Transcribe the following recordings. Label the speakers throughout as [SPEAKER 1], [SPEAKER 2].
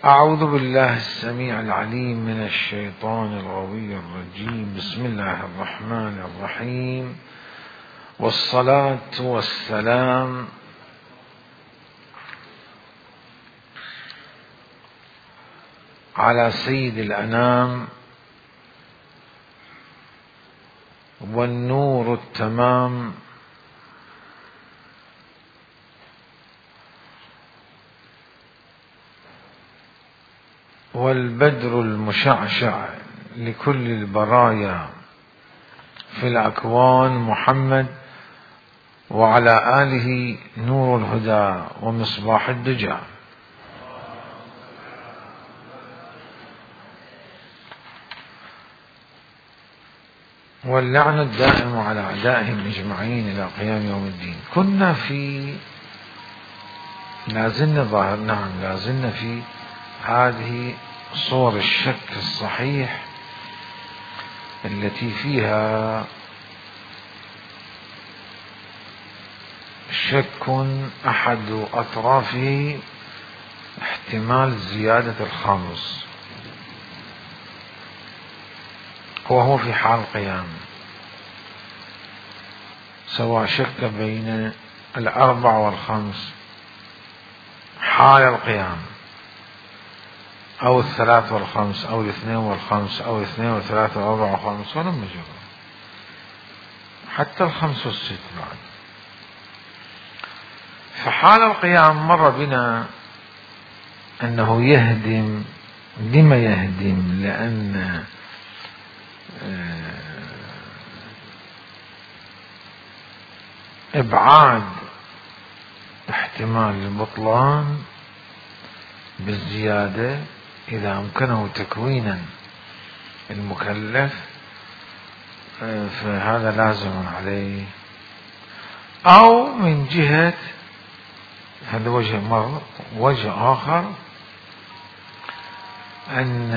[SPEAKER 1] أعوذ بالله السميع العليم من الشيطان الغوي الرجيم. بسم الله الرحمن الرحيم، والصلاة والسلام على سيد الأنام والنور التمام والبدر المشعشع لكل البرايا في الأكوان محمد، وعلى آله نور الهدى ومصباح الدجى. واللعنة الدائم على أعدائهم أجمعين إلى قيام يوم الدين. كنا في لازلنا في هذه صور الشك الصحيح التي فيها شك أحد أطرافه احتمال زيادة الخامس، وهو في حال القيام، سواء شك بين 4 و5 حال القيام، أو 3 و5 أو 2 و5 أو 2 و3 و4 و5 ولم يجرى حتى 5 و6 بعد. فحال القيام مر بنا أنه يهدم. لما يهدم؟ لأن إبعاد احتمال البطلان بالزيادة إذا أمكنه تكوينا المكلف فهذا لازم عليه، أو من جهة هذا وجه آخر أن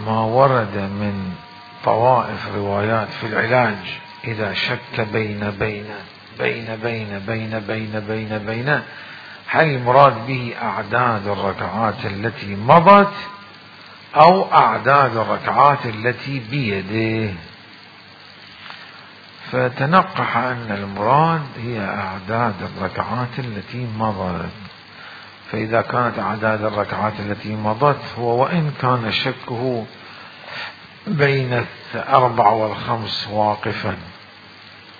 [SPEAKER 1] ما ورد من طوائف روايات في العلاج إذا شك بين هل المراد به أعداد الركعات التي مضت أو أعداد الركعات التي بيده؟ فتنقح أن المراد هي أعداد الركعات التي مضت. فإذا كانت أعداد الركعات التي مضت، هو وإن كان شكه بين 4 و5 واقفا،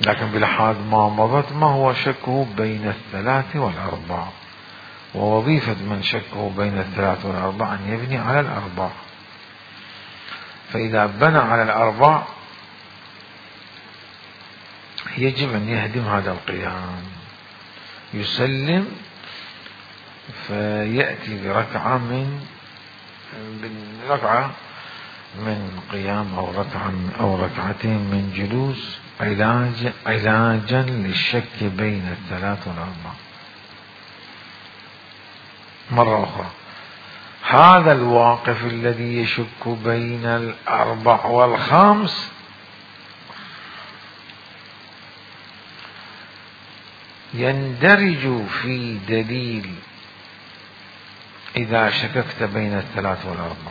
[SPEAKER 1] لكن بلحاظ ما مضت ما هو شكه بين 3 و4، ووظيفة من شكه بين 3 و4 أن يبني على 4. فإذا بنى على 4 يجب أن يهدم هذا القيام، يسلم فيأتي بركعة من قيام أو ركعتين من جلوس، علاجا للشك بين 3 و4. مرة أخرى، هذا الواقف الذي يشك بين 4 و5 يندرج في دليل إذا شككت بين 3 و4،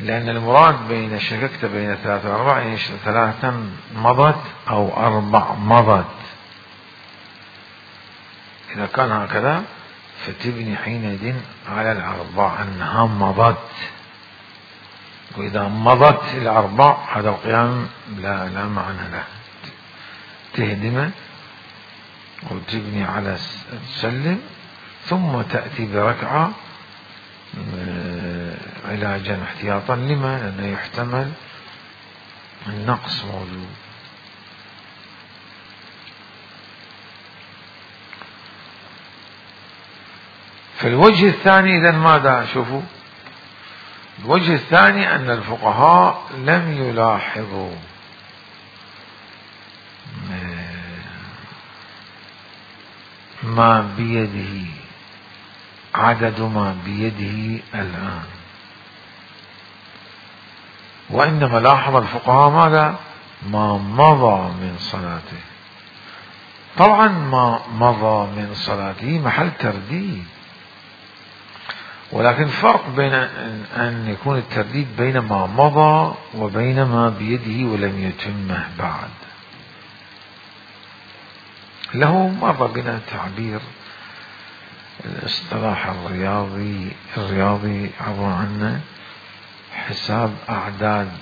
[SPEAKER 1] لأن المراد بين شككت بين 3 و4 يعني 3 مضت أو 4 مضت. إذا كان هكذا فتبني حينئذ على 4 أنها مضت، وإذا مضت 4 هذا القيام لا معنى له، تهدمه وتبني على تسلم، ثم تأتي بركعة علاجا احتياطا. لما؟ لأنه يحتمل النقص موجود. فالوجه الثاني إذن ماذا؟ شوفوا، الوجه الثاني أن الفقهاء لم يلاحظوا ما بيده، عدد ما بيده الآن، وإنما لاحظ الفقهاء ماذا؟ ما مضى من صلاته. طبعا ما مضى من صلاته محل ترديد، ولكن فرق بين أن يكون الترديد بين ما مضى وبين ما بيده ولم يتمه بعد. له مر بنا تعبير الاصطلاح الرياضي عبر عنه حساب أعداد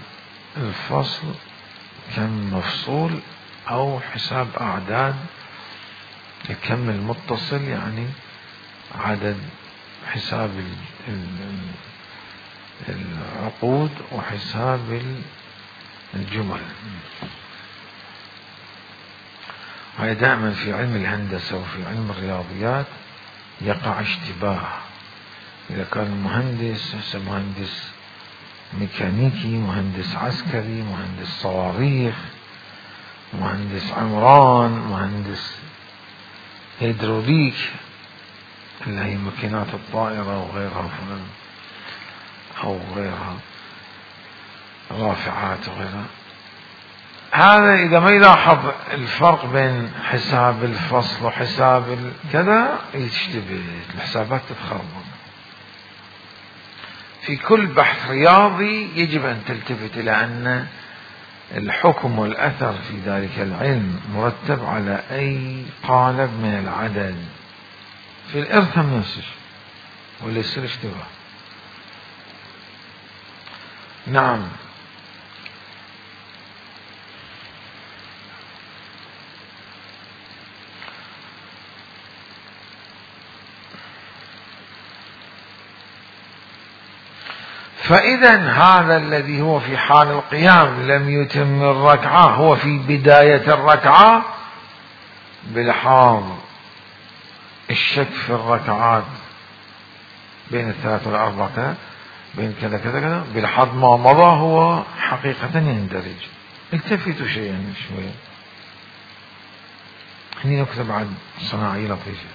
[SPEAKER 1] الفصل كم مفصول، أو حساب أعداد الكم المتصل، يعني عدد حساب العقود وحساب الجمل. هاي دائما في علم الهندسة وفي علم الرياضيات يقع اشتباه. إذا كان مهندس مهندس ميكانيكي، مهندس عسكري، مهندس صواريخ، مهندس عمران، مهندس هيدروليك اللي هي ماكينات الطائرة وغيرها، أو غيرها رافعات وغيرها، هذا إذا ما يلاحظ الفرق بين حساب الفصل وحساب كذا يشتبه، الحسابات تتخربط. في كل بحث رياضي يجب أن تلتفت إلى أن الحكم والأثر في ذلك العلم مرتب على أي قالب من العدد. في الإرث هم نفس الشيء ولا يصير اشتباه. نعم. فإذا هذا الذي هو في حال القيام لم يتم الركعة هو في بداية الركعة، بلحاظ الشك في الركعات بين الثلاث والأربع كذا، بين كذا كذا كذا، بلحاظ ما مضى هو حقيقة يندرج. التفتوا شيئا شوية، هني نكتب بعد صناعية لطيفة.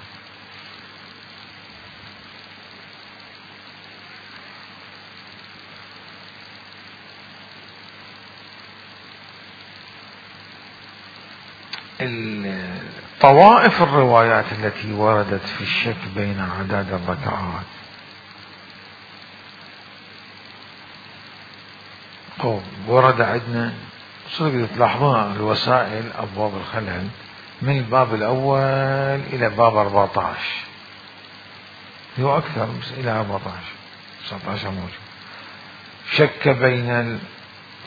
[SPEAKER 1] طوائف الروايات التي وردت في الشك بين أعداد الركعات، ورد عندنا صدق تلاحظون الوسائل أبواب الخلل من الباب الأول إلى باب 14، هو أكثر بس إلى 14 19 موجود. شك بين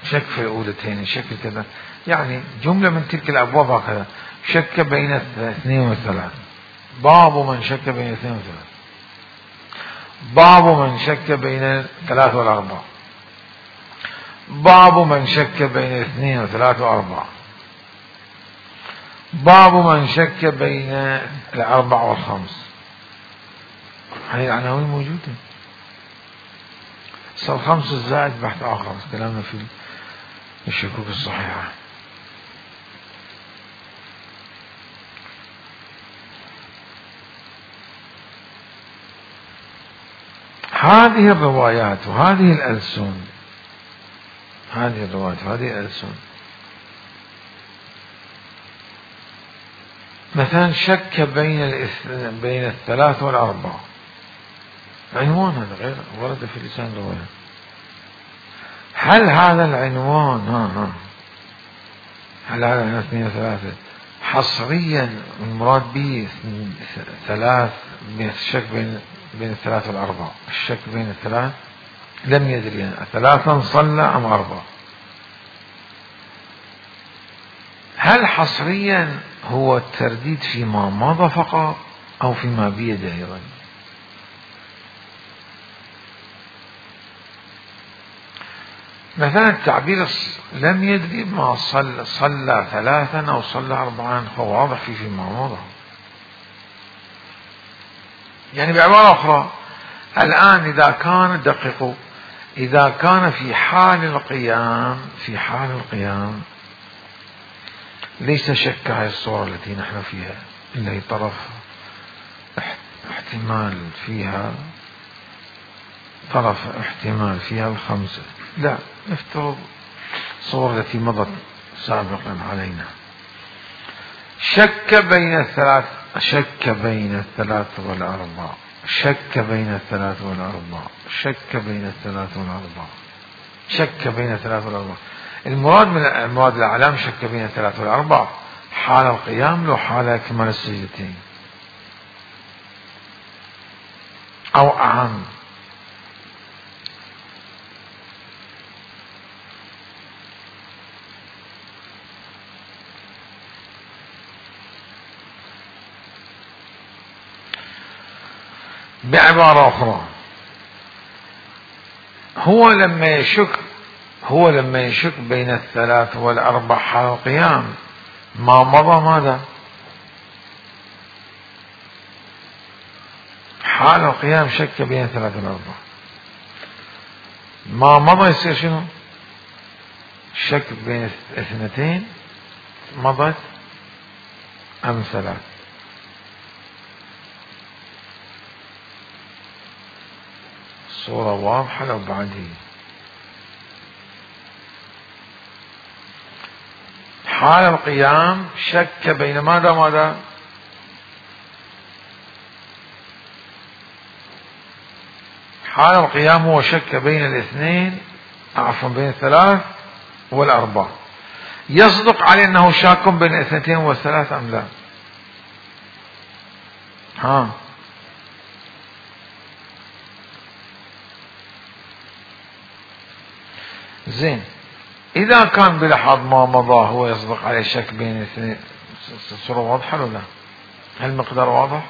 [SPEAKER 1] شك في الأولتين، شك كذا، يعني جملة من تلك الأبواب هكذا. شك بين 2 و3، باب من شك بين 2 و3، باب من شك بين 3 و4، باب من شك بين 2 و3 و4، باب من شك بين 4 و5. هاي العناوين موجودة. صار 5 الزائد بحث آخر، كلامنا في الشكوك الصحيحة. هذه الروايات وهذه الألسن، هذه الروايات وهذه الألسن، مثلا شك بين 3 و4، عنوان هذا غير ورد في لسان الرواية. هل هذا العنوان هل هذا العنوان 2 و3 حصريا المراد به 3 الشك بين 3 و4، الشك بين 3 لم يدري يعني 3 صلى أم 4؟ هل حصريا هو الترديد فيما مضى فقط أو فيما بيده أيضا؟ مثلا التعبير لم يدري ما صلى 3 أو صلى 4 هو واضح فيما مضى. يعني بعبارة أخرى، الآن إذا كان دققوا، إذا كان في حال القيام ليس شك هذه الصورة التي نحن فيها إلا هي طرف احتمال فيها 5. لا، نفترض الصورة التي مضت سابقا علينا. شك بين الثلاث، شك بين الثلاث والأربع، شك بين الثلاث والأربع، شك بين الثلاث والأربع، شك بين الثلاث والأربع. المراد من المراد الأعلام شك بين الثلاث والأربع حال القيام لو حال إكمال السجدتين أو أعم. بعبارة أخرى، هو لما يشك بين الثلاث والأربع حال القيام ما مضى ماذا؟ حال القيام شك بين الثلاث والأربع، ما مضى يصير شنو؟ شك بين اثنتين مضت أم ثلاث. صورة واضحة لو بعدين. حال القيام شك بين ماذا؟ حال القيام هو شك بين الاثنين، عفوا بين الثلاث والأربع. يصدق عليه أنه شاك بين الاثنتين والثلاث أم لا؟ ها، زين. إذا كان بلحظ ما مضى هو يصدق عليه شك بين الاثنين، الصورة واضحة ولا لا؟ المقدار واضح؟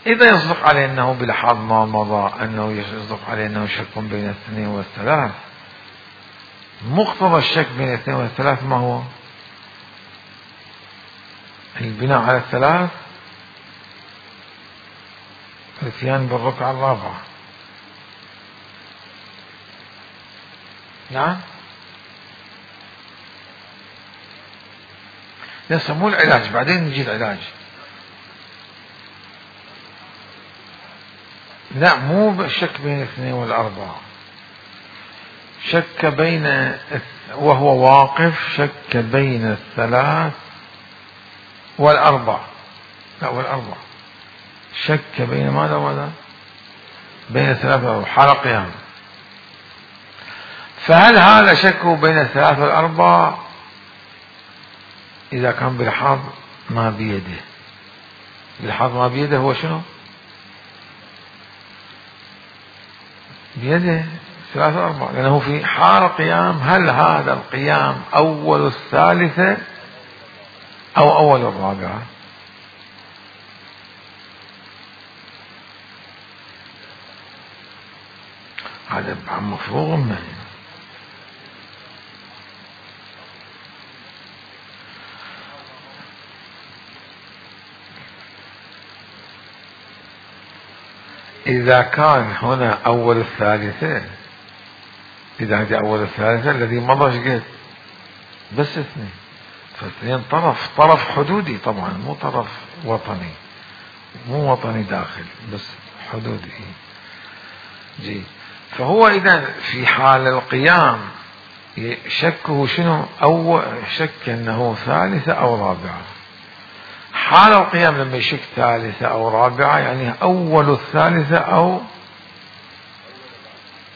[SPEAKER 1] إذا يصدق عليه أنه بلحظ ما مضى أنه يصدق عليه أنه شك بين الاثنين والثلاث، مقتضى الشك بين الاثنين والثلاث ما هو؟ البناء على الثلاث، الاتيان بالركعة الرابعة. نعم، لسه مو العلاج، بعدين نجي العلاج. لا، مو الشك بين الاثنين والأربعة، شك بين وهو واقف شك بين الثلاث والأربع، لا والأربع، شك بين ماذا؟ بين الثلاث والأربع حال قيام. فهل هذا شك بين الثلاث والأربع إذا كان بلحظ ما بيده؟ بلحظ ما بيده هو شنو؟ بيده ثلاثة أربعة، لأنه في حال قيام. هل هذا القيام أول الثالثة أو أول الرابعة؟ هذا مفروغ منه. إذا كان هنا أول الثالثة، إذا هذه أول الثالثة الذي مضى شقد بس اثنين، فاثنين طرف حدودي طبعا، مو طرف وطني، مو وطني داخل، بس حدودي جي. فهو إذا في حال القيام شكه شنو؟ أو شك أنه ثالثة أو رابعة. حال القيام لما يشك ثالثة أو رابعة يعني أول الثالثة أو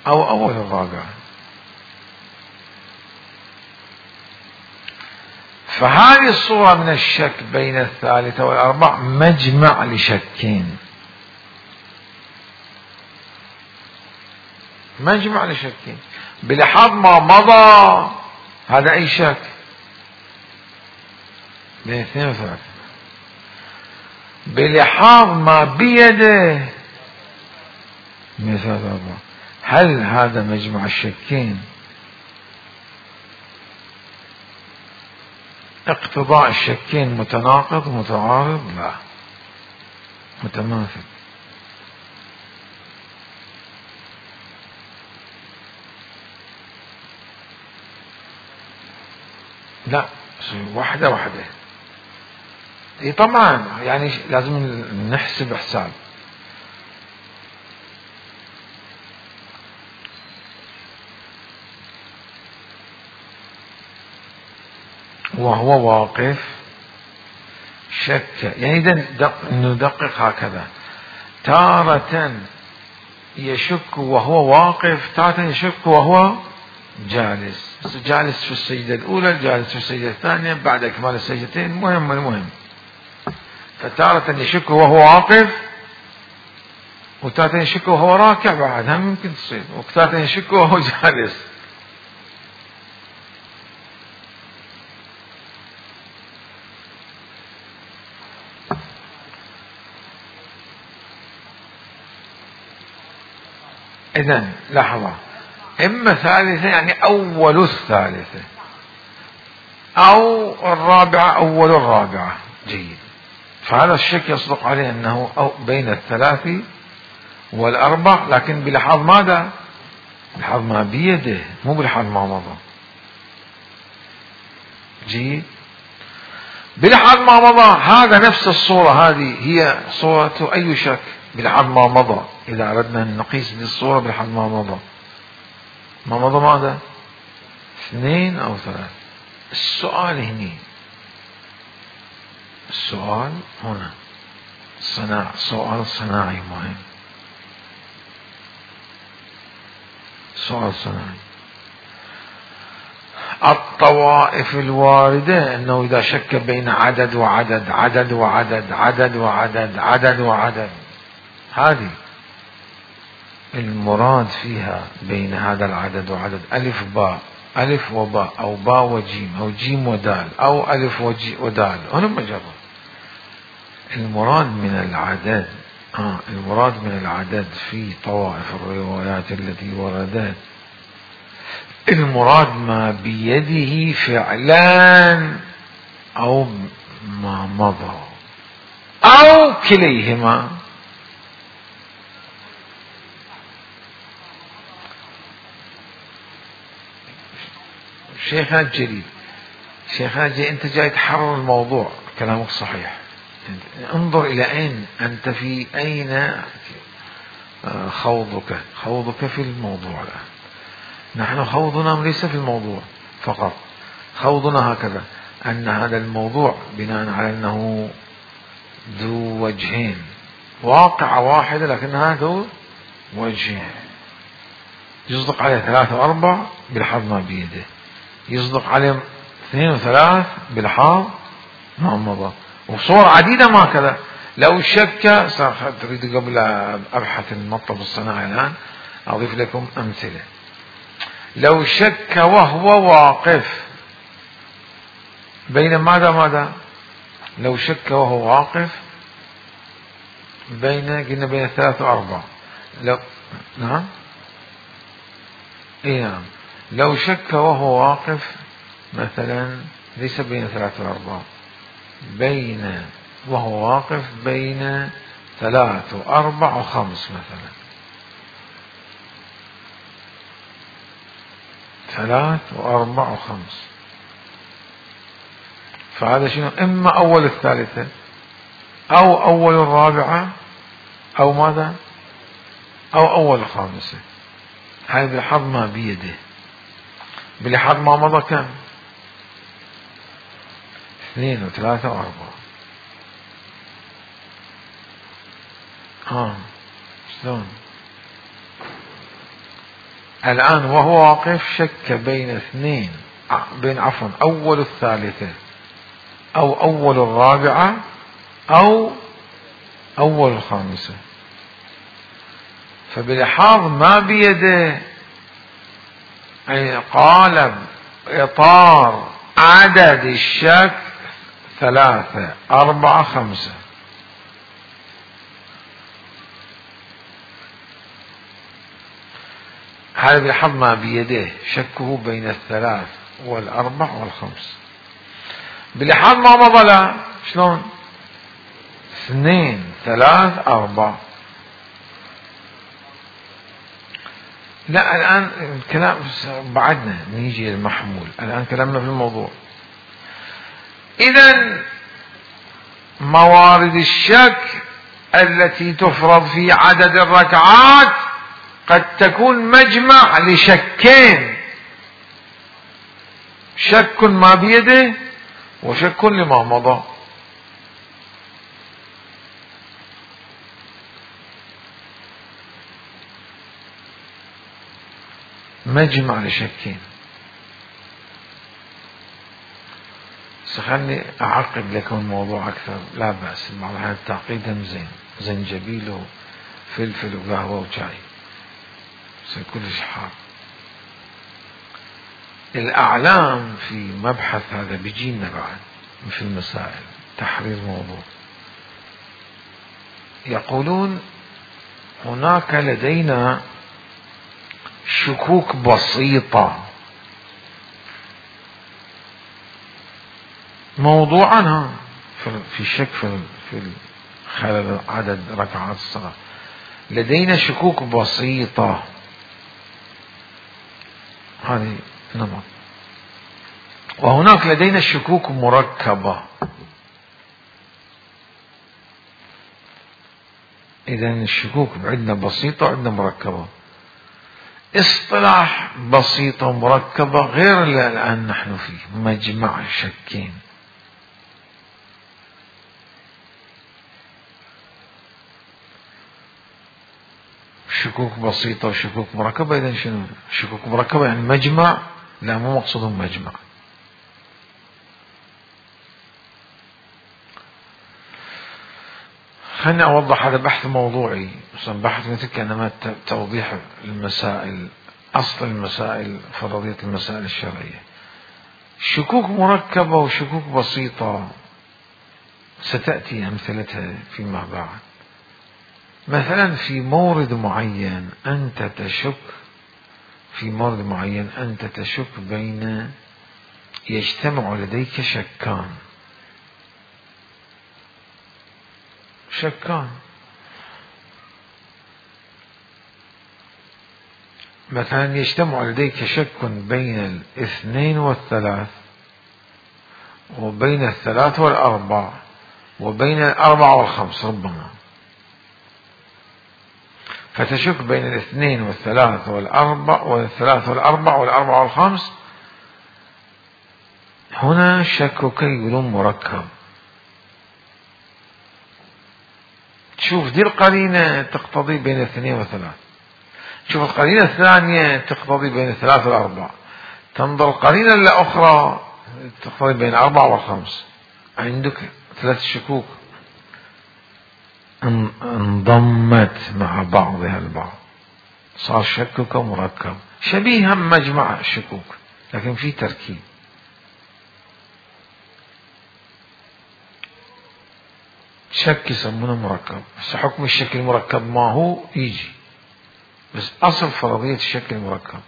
[SPEAKER 1] أول الرابعة. فهذه الصورة من الشك بين الثالثة والأربع مجمع لشكين، مجمع لشكين. بلحظ ما مضى هذا أي شك بين اثنين وثلاثة، بلحاظ ما بيده من ثلاثة وأربعة. هل هذا مجمع الشكين اقتضاء الشكين متناقض متعارض؟ لا، متماثل. لا، واحدة واحدة. اي طبعا، يعني لازم نحسب حساب. وهو واقف شك يعني ندقق هكذا، تارة يشك وهو واقف، تارة يشك وهو جالس، جالس في السجدة الأولى، جالس في السجدة الثانية، بعد إكمال السجدتين، المهم فتارة يشك وهو واقف، وتارة يشك وهو راكع، بعد هم يمكن تصير، وتارة يشك وهو جالس. إذن لحظة، إما ثالثة يعني أول الثالثة، أو الرابعة أول الرابعة. جيد، فهذا الشك يصدق عليه أنه أو بين الثلاث والأربع، لكن بلحاظ ماذا؟ بلحاظ ما بيده، مو بلحاظ ما مضى. جيد، بلحاظ ما مضى هذا نفس الصورة، هذه هي صورة أي شك بلحاظ ما مضى. إذا أردنا أن نقيس بالصورة بلحاظ ما مضى، ما مضى ماذا؟ 2 أو 3. السؤال هنا، السؤال هنا سؤال صناعي مهم، سؤال صناعي. الطوائف الواردة أنه إذا شك بين عدد وعدد، عدد وعدد، عدد وعدد، عدد وعدد، هذه المراد فيها بين هذا العدد وعدد ألف باء، ألف وباء، أو باء وجيم، أو جيم ودال، أو ألف ودال، هنا مجرد المراد من العدد. المراد من العدد في طوائف الروايات التي وردت، المراد ما بيده فعلا أو ما مضى أو كليهما. شيخنا الجليل، شيخنا الجليل، أنت جاي تحرر الموضوع، كلامك صحيح، انظر إلى أين أنت، في أين خوضك في الموضوع الآن. نحن خوضنا ليس في الموضوع فقط، خوضنا هكذا أن هذا الموضوع بناء على أنه ذو وجهين، واقعة واحدة لكنها ذو وجهين، يصدق عليه 3 و4 بلحاظ ما بيده، يصدق عليه 2 و3 بلحاظ ما مضى، وصور عديدة ما كذا. لو شك، تريد قبل أبحث المطلب الصناعي الآن أضيف لكم أمثلة. لو شك وهو واقف بين ماذا؟ لو شك وهو واقف قلنا بين 3 و4. لو نعم، نعم، لو شك وهو واقف مثلا ليس بين 3 و4، وهو واقف بين 3 و4 و5 مثلا، 3 و4 و5، فهذا شنو؟ إما أول الثالثة أو أول الرابعة أو ماذا؟ أو أول الخامسة. هذا بلحاظ ما بيده، بلحاظ ما مضى كم؟ 2 و3 و4. شلون؟ الآن وهو واقف شك بين أول الثالثة أو أول الرابعة أو أول الخامسة، فبلحاظ ما بيده أي قالب إطار عدد الشك 3 4 5، هذا بلحاظ ما بيده شكه بين 3 و4 و5. بلحاظ ما مضى لا، شلون؟ 2 3 4. لا، الآن الكلام بعدنا نيجي للمحمول، الآن كلامنا في الموضوع. إذن موارد الشك التي تفرض في عدد الركعات قد تكون مجمع لشكين، شك ما بيده وشك لما مضى. مجمع لشكين. خلني أعقد لكم الموضوع أكثر، لا بأس، بعض الأحيان التعقيد زين، زنجبيل وفلفل وقهوة وشاي يصير كلش حار. الأعلام في مبحث هذا بيجينا بعد في المسائل تحرير موضوع، يقولون هناك لدينا شكوك بسيطة موضوعا في شك في خلال عدد ركعات الصلاة، لدينا شكوك بسيطة، هذه نمط. وهناك لدينا شكوك مركبة. إذن الشكوك عندنا بسيطة وعندنا مركبة. اصطلاح بسيطة ومركبة غير اللي الآن نحن فيه، مجمع شكين. شكوك بسيطة وشكوك مركبة، إذن شنو؟ شكوك مركبة يعني مجمع؟ لا، مو مقصودهم مجمع. خلني أوضح، هذا بحث موضوعي، بحث مثل كأنما توضيح المسائل، أصل المسائل، فرضية المسائل الشرعية. شكوك مركبة وشكوك بسيطة ستأتي أمثلتها فيما بعد. مثلا في مورد معين أنت تشك، في مورد معين أنت تشك بين، يجتمع لديك شكان، مثلا يجتمع لديك شك بين 2 و3 وبين 3 و4 وبين 4 و5 ربما، فتشك بين 2 و3 و4 و4 و5. هنا شكك يقولون مركب. شوف دي القرينة تقتضي بين 2 و3، شوف القرينة الثانية تقتضي بين 3 و4، تنظر القرينة الأخرى تقتضي بين 4 و5. عندك 3 شكوك انضمت مع بعضها البعض، صار شكك مركب شبيها مجمع الشكوك لكن في تركيب. شك يسمونه مركب، بس حكم الشك المركب ما هو يجي، بس أصل فرضية الشك المركب.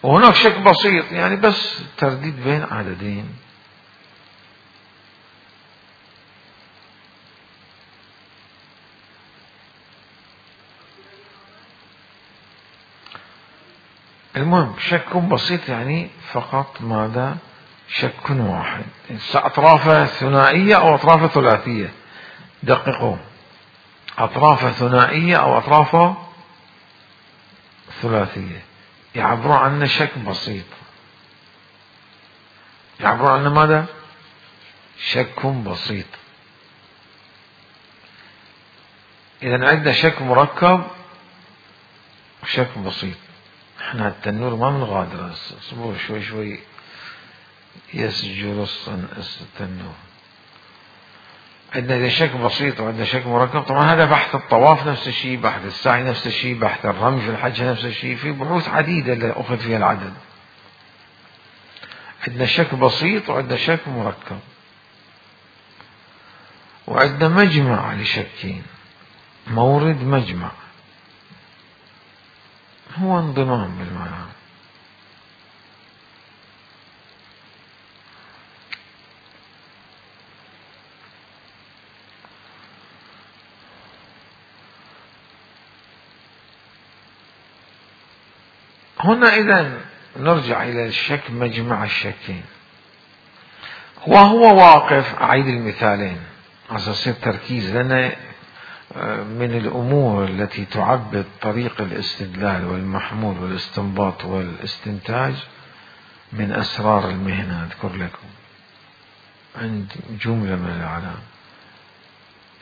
[SPEAKER 1] وهناك شك بسيط يعني بس ترديد بين عددين. المهم شك بسيط يعني فقط ماذا؟ شك واحد، أطرافه ثنائية أو أطرافه ثلاثية، دققوا، أطرافه ثنائية أو أطرافه ثلاثية، يعبرون عنه شك بسيط، يعبرون عنه ماذا؟ شك بسيط. إذا عندنا شك مركب وشك بسيط. احنا التنور ما بنغادر، اصبروا شوي شوي يسجل التنور. عندنا شك بسيط وعندنا شك مركب. طبعا هذا بحث الطواف نفس الشيء، بحث السعي نفس الشيء، بحث الرمي في الحج نفس الشيء، في بحوث عديدة اللي أخذ فيها العدد. عندنا شك بسيط وعندنا شك مركب، وعندنا مجمع لشكين، مورد مجمع هو انضمام بالمعنى. هنا إذن نرجع إلى الشك، مجمع الشكين، وهو واقف. أعيد المثالين عشان يصير تركيز، لأن من الأمور التي تعبد طريق الاستدلال والمحمول والاستنباط والاستنتاج من أسرار المهنة. أذكر لكم عند جملة من الأعلام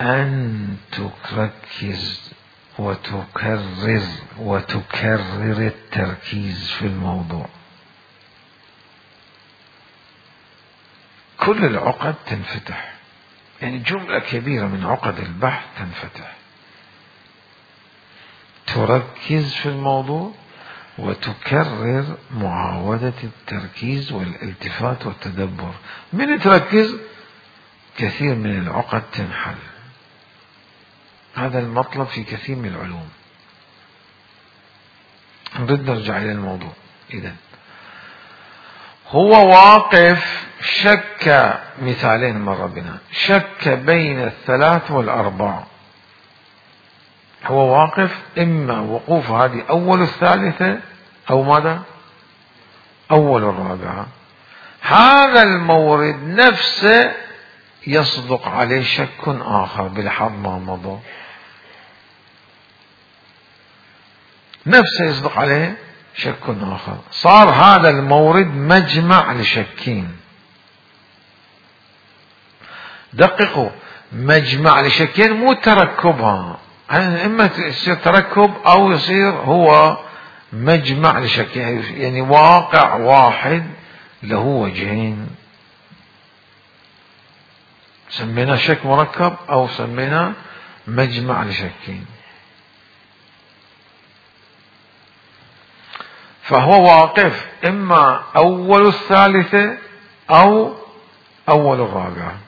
[SPEAKER 1] أن تركز وتكرر التركيز في الموضوع. كل العقد تنفتح، يعني جملة كبيرة من عقد البحث تنفتح. تركز في الموضوع وتكرر معاودة التركيز والالتفات والتدبر. من تركز كثير من العقد تنحل. هذا المطلب في كثير من العلوم. نريد نرجع إلى الموضوع. إذن هو واقف، شك، مثالين مر بنا، شك بين 3 و4. هو واقف، إما وقوف هذه أول 3 أو ماذا؟ أول 4. هذا المورد نفسه يصدق عليه شك آخر بلحظ ما مضى، نفسه يصدق عليه شك آخر. صار هذا المورد مجمع لشكين. دققوا، مجمع لشكين، مو تركبها، إما يصير تركب أو يصير هو مجمع لشكين، يعني واقع واحد له وجهين. سمينا شك مركب أو سمينا مجمع لشكين. فهو واقف إما أول 3 أو أول 4.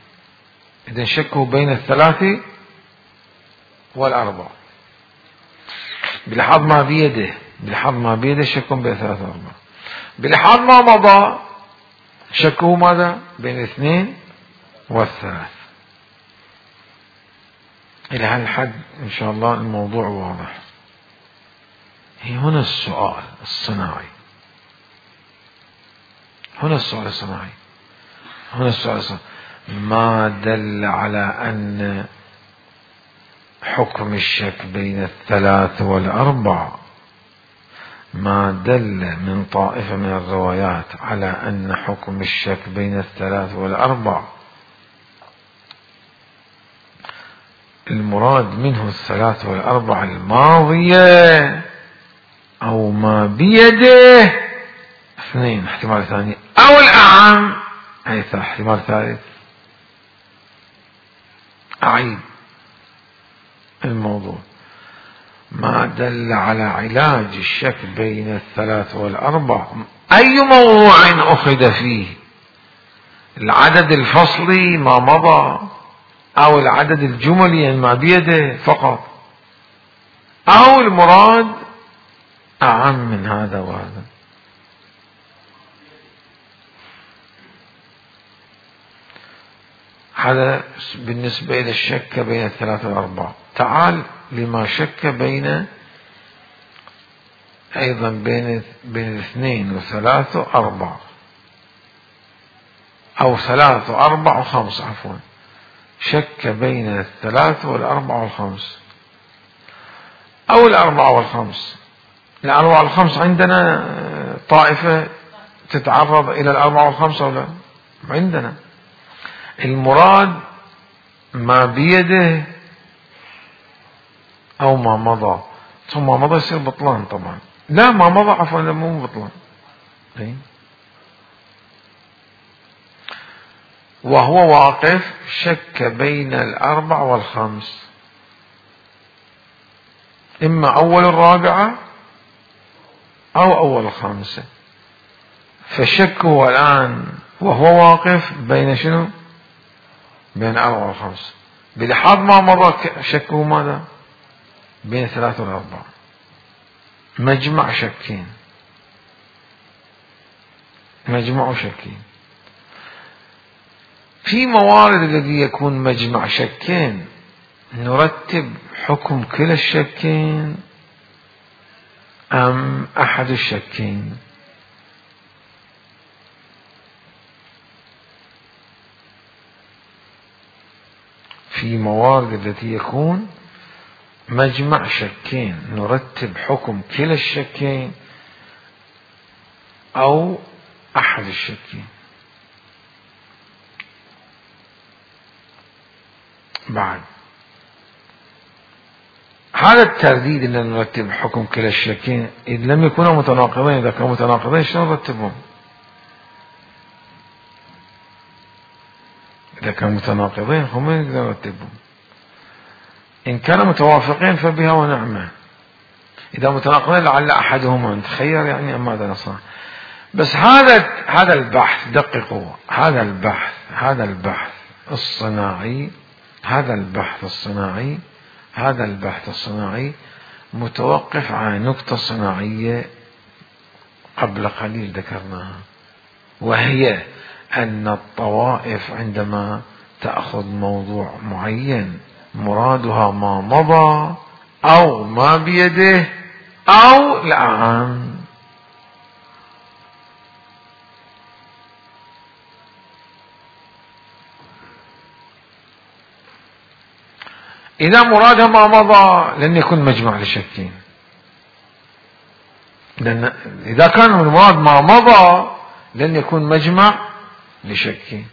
[SPEAKER 1] إذن شكه بين 3 و4 بلحظ ما بيده شك بين 3 و4. بلحظ ما مضى شكه ماذا؟ بين 2 و3. إلى هالحد إن شاء الله الموضوع واضح. هنا السؤال الصناعي. ما دل على أن حكم الشك بين 3 و4، ما دل من طائفة من الروايات على أن حكم الشك بين 3 و4 المراد منه 3 و4 الماضية أو ما بيده 2، احتمال ثاني، أو الأعم، أي احتمال ثالث. أعيد الموضوع. ما دل على علاج الشك بين 3 و4 أي موضوع أخذ فيه، العدد الفصلي ما مضى، أو العدد الجملي ما بيده فقط، أو المراد أعم من هذا وهذا. هذا بالنسبة إلى الشك بين 3 و4. تعال لما شك بين أيضا بين 2 و3 و4 أو 3 و4 و5 عفوا. شك بين 3 و4 و5 أو 4 و5. 4 و5 عندنا طائفة تتعرض إلى 4 و5 أو لا؟ عندنا. المراد ما بيده أو ما مضى. ثم ما مضى يصير بطلان طبعا. لا ما مضى عفوا، مو بطلان. وهو واقف شك بين 4 و5، إما أول 4 أو أول 5. فشكه الآن وهو واقف بين شنو؟ بين 4 و5. بلحظ ما مضى شكه ماذا؟ بين 3 و4. مجمع شكين. في موارد الذي يكون مجمع شكين نرتب حكم كلا الشكين أم أحد الشكين؟ في موارد التي يكون مجمع شكين نرتب حكم كلا الشكين أو أحد الشكين. بعد هذا الترديد اللي نرتب حكم كلا الشكين إذ لم يكونا متناقضين. إذا كانوا متناقضين شلون نرتبهم؟ إذا كانوا متناقضين هم ما نقدر نرتبهم. إن كانوا متوافقين فبها ونعمة. إذا متناقضين لعل أحدهما نتخير يعني أم ماذا نصنع. بس هذا البحث دققوا، هذا البحث الصناعي متوقف على نقطة صناعية قبل قليل ذكرناها، وهي أن الطوائف عندما تأخذ موضوع معين مرادها ما مضى أو ما بيده أو الأعم. إذا مرادها ما مضى لن يكون مجمع لشكين، لأن إذا كان المراد ما مضى لن يكون مجمع لشكين.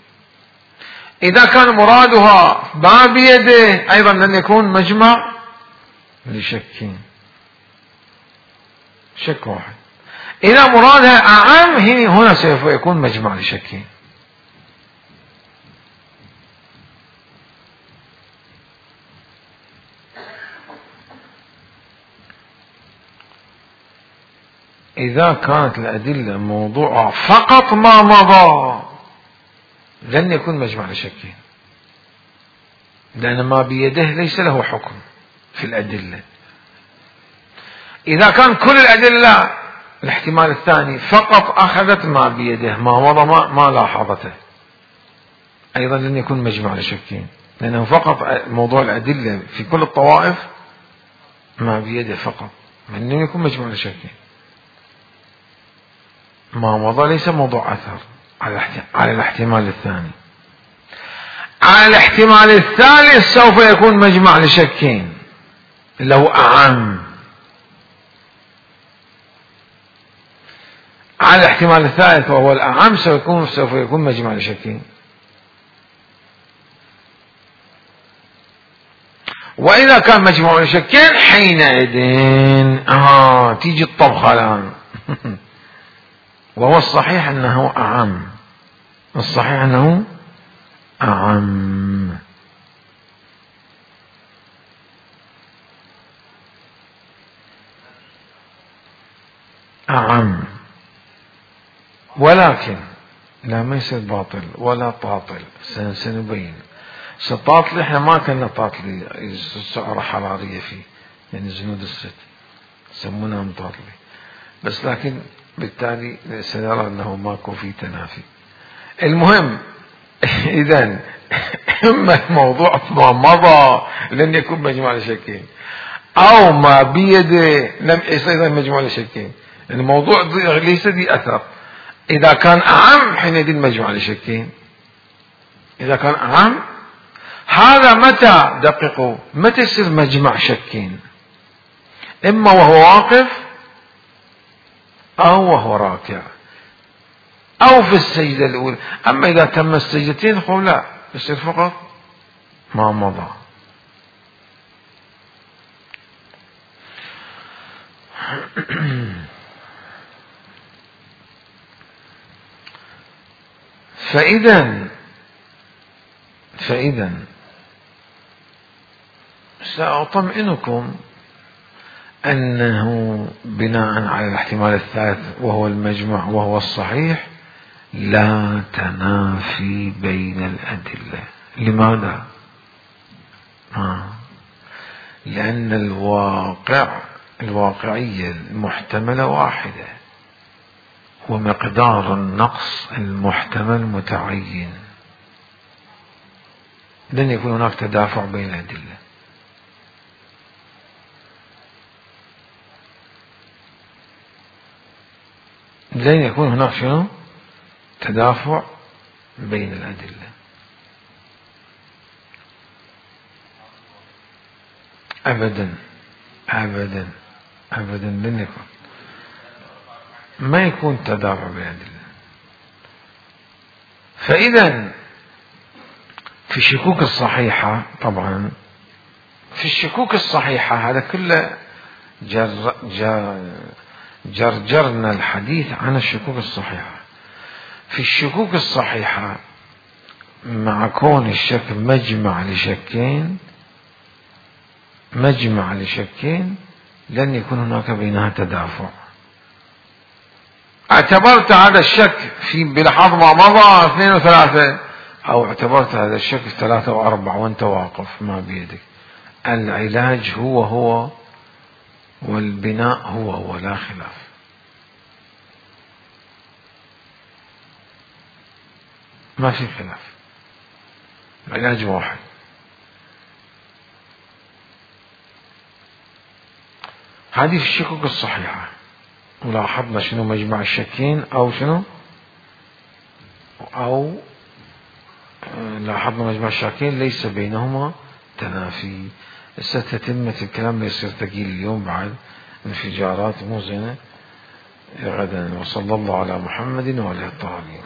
[SPEAKER 1] إذا كان مرادها ما بيده أيضا لن يكون مجمع لشكين، شك واحد. إذا مرادها أعم هنا سوف يكون مجمع لشكين. إذا كانت الأدلة موضوعها فقط ما مضى لن يكون مجمع لشكين، لأن ما بيده ليس له حكم في الأدلة. إذا كان كل الأدلة الاحتمال الثاني فقط أخذت ما بيده ما مضى ما لاحظته أيضا لن يكون مجمع لشكين، لأنه فقط موضوع الأدلة في كل الطوائف ما بيده فقط، لن يكون مجمع لشكين. ما مضى ليس موضوع أثر على الاحتمال الثاني. على الاحتمال الثالث سوف يكون مجمع لشكين لو أعم. على الاحتمال الثالث وهو الأعم سوف يكون مجمع لشكين. وإذا كان مجمع لشكين حينئذ تيجي الطبخة الآن. وهو الصحيح أنه أعم، أعم، ولكن لا ما يصير باطل ولا طاطل. سنبين. طاطل احنا ما كنا طاطلي سعر حرارية فيه، يعني زنود الست يسمونها مطاطلي، بس لكن بالتالي سنرى أنه ماكو في تنافي. المهم إذن إما الموضوع ما مضى لن يكون مجموع لشكين، أو ما بيده لم يصير مجموع لشكين. الموضوع ليس ذي أثر. إذا كان أعم حينئذ مجموع لشكين. إذا كان أعم هذا متى دققوا متى يصير مجمع شكين؟ إما وهو واقف أو وهو راكع أو في السجدة الأولى. أما إذا تم السجدتين قل لا يصير فقط ما مضى. فإذا سأطمئنكم أنه بناء على الاحتمال الثالث وهو المجمع وهو الصحيح لا تنافي بين الأدلة. لماذا؟ لأن الواقعية المحتملة واحدة ومقدار النقص المحتمل متعين. لن يكون هناك تدافع بين الأدلة. لن يكون هناك شنو؟ تدافع بين الأدلة أبدا أبدا أبدا. لن يكون، ما يكون تدافع بين الأدلة. فإذا في الشكوك الصحيحة طبعا في الشكوك الصحيحة هذا كله جرجرنا الحديث عن الشكوك الصحيحة. في الشكوك الصحيحة مع كون الشك مجمع لشكين لن يكون هناك بينها تدافع. اعتبرت هذا الشك في بلحظة ما مضى 2 و3، أو اعتبرت هذا الشك 3 و4 وانت واقف ما بيدك. العلاج هو والبناء هو لا خلاف. ما في خلاف، العلاج واحد. هذه في الشكوك الصحيحة. ولاحظنا شنو مجمع الشكين أو شنو، أو لاحظنا مجمع الشكين ليس بينهما تنافي. ستتمة الكلام يصير ثقيل اليوم بعد انفجارات مو زينة غدا. وصلى الله على محمد وعلى الطاهرين.